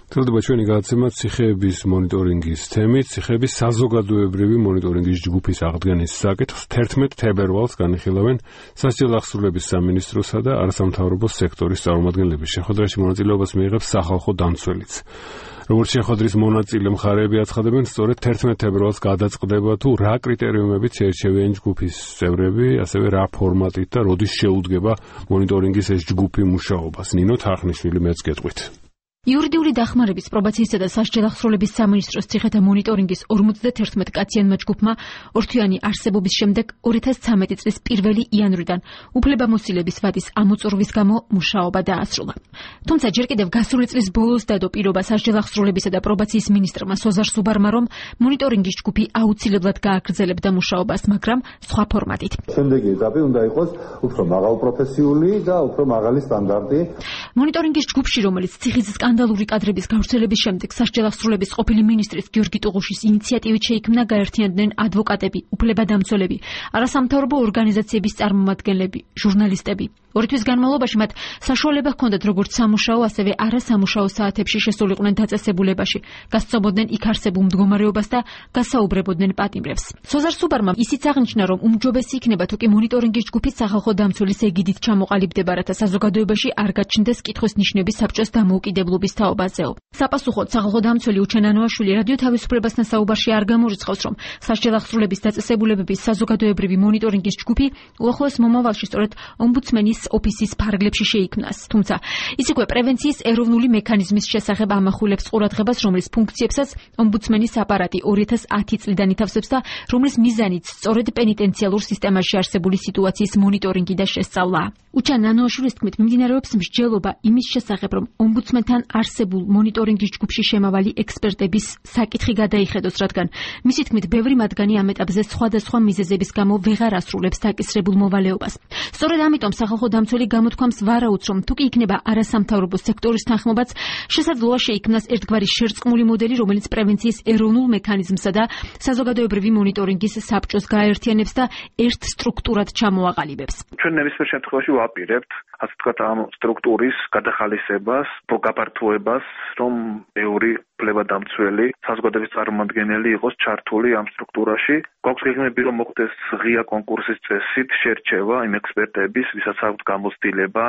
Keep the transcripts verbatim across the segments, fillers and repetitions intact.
თელდება ჩვენი გადაცემა ციხეების მონიტორინგის თემით, ციხეების საზოგადოებრივი მონიტორინგის ჯგუფის აღდგენის საკითხს თერთმეტ თებერვალს განიხილავენ სასჯელ აღსრულების სამინისტროსა და არასამთავრობო სექტორის წარმომადგენლები. შეხვედრაში მონაწილეობას მიიღებს სახალხო დამცველიც. როგორც შეხვედრის მონაწილე მხარეები აცხადებენ, სწორედ თერთმეტ თებერვალს გადაწყდება თუ რა კრიტერიუმებით შეერჩევიან ჯგუფის წევრები, ასევე რა ფორმატით და როდის შეუდგება მონიტორინგის ეს ჯგუფი მუშაობას. ნინო თარხნიშვილი მეც გეტყვით. იურიდიული დახმარების პრობაციისა და სასჯელ აღსრულების სამინისტროს ციხეთა მონიტორინგის ორმოცდათერთმეტ კაციანმა ჯგუფმა ორთვიანი არსებობის შემდეგ ორი ათას ცხრამეტი წლის პირველი იანვრიდან უფლებამოსილების ვადის ამოწურვის გამო მუშაობა დაასრულა. თუმცა ჯერ კიდევ გასული წლის ბოლოს დადო პირობა სასჯელ აღსრულებისა და პრობაციის მინისტრმა სოზარ სუბარმა, რომ მონიტორინგის ჯგუფი აუცილებლად გააგრძელებდა მუშაობას, მაგრამ სხვა ფორმატით. შემდეგი ეტაპი უნდა იყოს უფრო მაღალპროფესიული და უფრო მაღალი სტანდარტი. მონიტორინგის ჯგუფში, რომელიც ციხის სკანდალური კადრების გავრცელების შემდეგ სასჯელ აღსრულების ყოფილი მინისტრის გიორგი ტუღუშის ინიციატივით შეიქმნა, გაერთიანდნენ ადვოკატები, უფლებადამცველები, არასამთავრობო ორგანიზაციების წარმომადგენლები, ჟურნალისტები. ორი თვის განმავლობაში მათ საშუალება ჰქონდათ როგორც სამუშაო, ასევე არასამუშაო საათებში შესულიყვნენ დაწესებულებაში, გასცნობოდნენ იქ არსებულ მდგომარეობას და გასაუბრებოდნენ პატიმრებს. სოზარ სუბარმა ისიც აღნიშნა, რომ უმჯობესი იქნება თუ კი მონიტორინგის ჯგუფის სახალხო დამცველის ეგიდით ჩამოყალიბდება, რათა საზოგადოებაში არ გაჩნდეს კითხვის ნიშნები საბჭოს დამოუკიდებლობის თაობაზეო. საპასუხოდ სახალხო დამცველი უჩენ ანოაშვილი რადიო თავისუფლებასთან საუბარში არ გამორიცხავს, რომ სასჯელ აღსრულების დაწესებულებების საზოგადოებრივი მონიტორინგის ჯგუფი უახლოეს მომავალში სწორედ ომბუდსმენის ოფისის ფარგლებში შეიქმნას. თუმცა ის იქვე პრევენციის ეროვნული მექანიზმის შესახებ ამახვილებს ყურადღებას, რომლის ფუნქციებსაც ომბუდსმენის აპარატი ორი ათას ათი წლიდან ითავსებს და რომლის მიზანიც სწორედ პენიტენციალურ სისტემაში არსებული სიტუაციის მონიტორინგი და შესწავლაა. უჩან ანოაშვილის თქმით, მიმდინარეობს მსჯელობა იმის შესახებ, რომ ომბუდსმენთან არსებულ მონიტორინგის ჯგუფში შემავალი ექსპერტების საკითხი გადაიხედოს, რადგან მისი თქმით, ბევრი მათგანი ამ ეტაპზე სხვადასხვა მიზეზების გამო ვეღარ ასრულებს დაკისრებულ მოვალეობას. სწორედ ამიტომ სახალხო დამცველი გამოთქვამს ვარაუდს, რომ თუ კი იქნება არასამთავრობო სექტორის თანხმობაც, შესაძლოა შეიქმნას ერთგვარი შერწყმული მოდელი, რომელიც პრევენციის ეროვნულ მექანიზმსა და საზოგადოებრივი მონიტორინგის საბჭოს გააერთიანებს და ერთ სტრუქტურად ჩამოაყალიბებს. ჩვენ ნებისმიერ შემთხვევაში ვაპირებთ, ასე ვთქვათ, ამ სტრუქტურის გადახალისებას, გაფართოებას, რომ ბევრი უფლებადამცველი საზოგადოების წარმომადგენელი იყოს ჩართული ამ სტრუქტურაში. გვაქვს გეგმები, რომ მოხდეს ღია კონკურსის წესით შერჩევა იმ ექსპერტების, ვისაც აქვთ გამოცდილება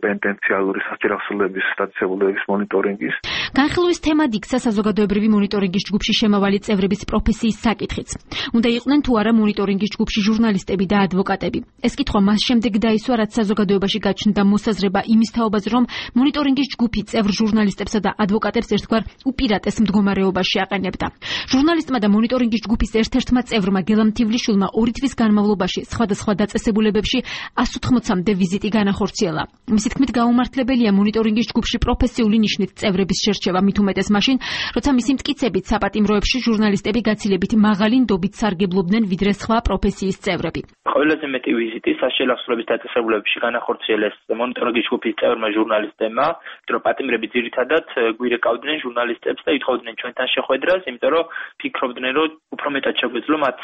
პენიტენციალური სასჯელ აღსრულების დაწესებულებების მონიტორინგის. განხილვის თემად იქცა საზოგადოებრივი მონიტორინგის ჯგუფში შემავალი წევრების პროფესიის საკითხიც. უნდა იყვნენ თუ არა მონიტორინგის ჯგუფში ჟურნალისტები და ადვოკატები. ეს კითხვა მას შემდეგ დაისვა, რაც საზოგადოებაში გაჩნდა მოსაზრება იმის თაობაზე, რომ მონიტორინგის ჯგუფი წევრ ჟურნალისტებსა და ადვოკატებს ერთგვარ უპირატეს მდგომარეობაში აყენებდა. ჟურნალისტმა და მონიტორინგის ჯგუფის ერთ-ერთმა წევრმა გელამ თივლიშვილმა ორი თვის განმავლობაში სხვადასხვა დაწესებულებებში ას ութმოცამდე ვიზიტი განახორციელა. მისი თქმით, გაუმართლებელია მონიტორინგის ჯგუფში პროფესიული ნიშნით წევრების შერჩევა, მით უმეტეს მაშინ, როცა მისი მტკიცებით საპატიმროებში ჟურნალისტები გაცილებით მაღალი ნდობით სარგებლობდნენ ვიდრე სხვა პროფესიის წევრები. ყველაზე მეტი ვიზიტი სასჯელ აღსრულების დაწესებულებებში განახორციელეს მონიტორინგის ჯგუფის წევრმა ჟურნალისტებმა, რომ პატიმრები ძირითადად გვირეკავდნენ ჟურნალისტებს და ითხოვდნენ ჩვენთან შეხვედრას, იმიტომ რომ ფიქრობდნენ, რომ უფრო მეტად შეგვეძლო მათ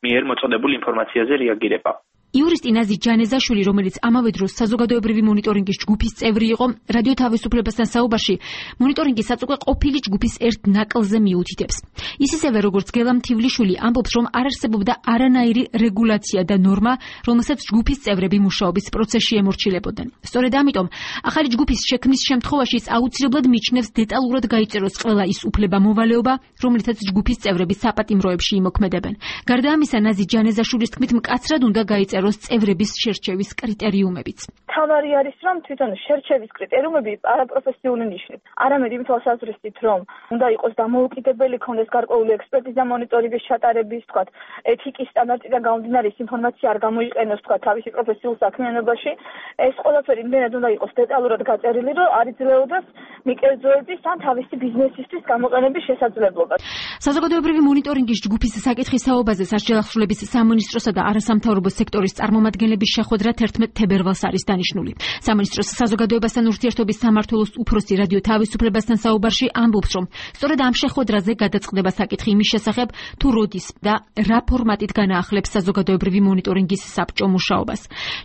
მიერ მოწოდებული ინფორმაციაზე რეაგირება. იურისტი ნაზი ჯანეზაშვილი, რომელიც ამავე დროს საზოგადოებრივი მონიტორინგის ჯგუფის წევრი იყო, რადიო თავისუფლებასთან საუბარში მონიტორინგის საწუყე ყოფილი ჯგუფის ერთ ნაკლზე მიუთითებს. ის ისევე როგორც გელამ თივლიშვილი ამბობს, რომ არ არსებობდა არანაირი რეგულაცია და ნორმა, რომელსაც ჯგუფის წევრები მუშაობის პროცესში ემორჩილებოდნენ. სწორედ ამიტომ ახალი ჯგუფის შექმნის შემთხვევაში ის აუცილებლად მიჩნევს დეტალურად გაიწეროს ყველა ის უფლება მოვალეობა, რომლითაც ჯგუფის წევრები საპატიმროებში იმოქმედებენ. გარდა ამისა, ნაზი ჯანეზაშვილის თქმით, მკაცრად უნდა გაიწეროს წევრების შერჩევის კრიტერიუმებიც. თავარი არის, რომ თვითონ შერჩევის კრიტერიუმები არაპროფესიული ნიშნით. არამედ იმ თვალსაზრისით, რომ უნდა იყოს დამოუკიდებელი, ქონდეს გარკვეული ექსპერტიზა მონიტორინგის ჩატარების, თქვათ, ეთიკის სტანდარტიდან გამომდინარე ინფორმაცია არ გამოიყენოს, თქვათ, თავისი პროფესიულ საქმიანობაში. ეს ყველაფერი იმდენად უნდა იყოს დეტალურად გაწერილი, რომ არ იძლეოდეს მიკერძოების ან თავისი ბიზნესისთვის გამოყენების შესაძლებლობა. საზოგადოებრივი მონიტორინგის ჯგუფის საკითხის საუბაზე სასჯელახსრულების სამინისტროსა და არასამთავრობო სექტორის წარმომადგენლების შეხვედრა თერთმეტ თებერვალს არის დანიშნული. სამინისტროს საზოგადოებასთან ურთიერთობის სამმართველოს უფროსი რადიო თავისუფლებასთან საუბარში ამბობს, რომ სწორედ ამ შეხვედრაზე გადაწყდება საკითხი იმის შესახებ, თუ როდის და რა ფორმატით განაახლებს საზოგადოებრივი მონიტორინგის საბჭო მუშაობას.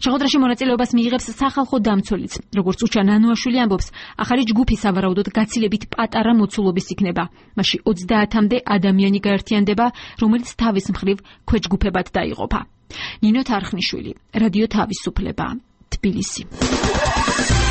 შეხვედრაში მონაწილეობას მიიღებს სახალხო დამცველიც. როგორც უჩა ნანოაშვილი ამბობს, ახალი ჯგუფი სავარაუდოდ გაცილებით პატარა მოცულობის იქნება. მასში ოცდაათამდე ადამიანი გაერთიანდება, რომელიც თავის მხრივ ქვეჯგუფებად დაიყოფა. ნინო თარხნიშვილი, რადიო თავისუფლება, თბილისი.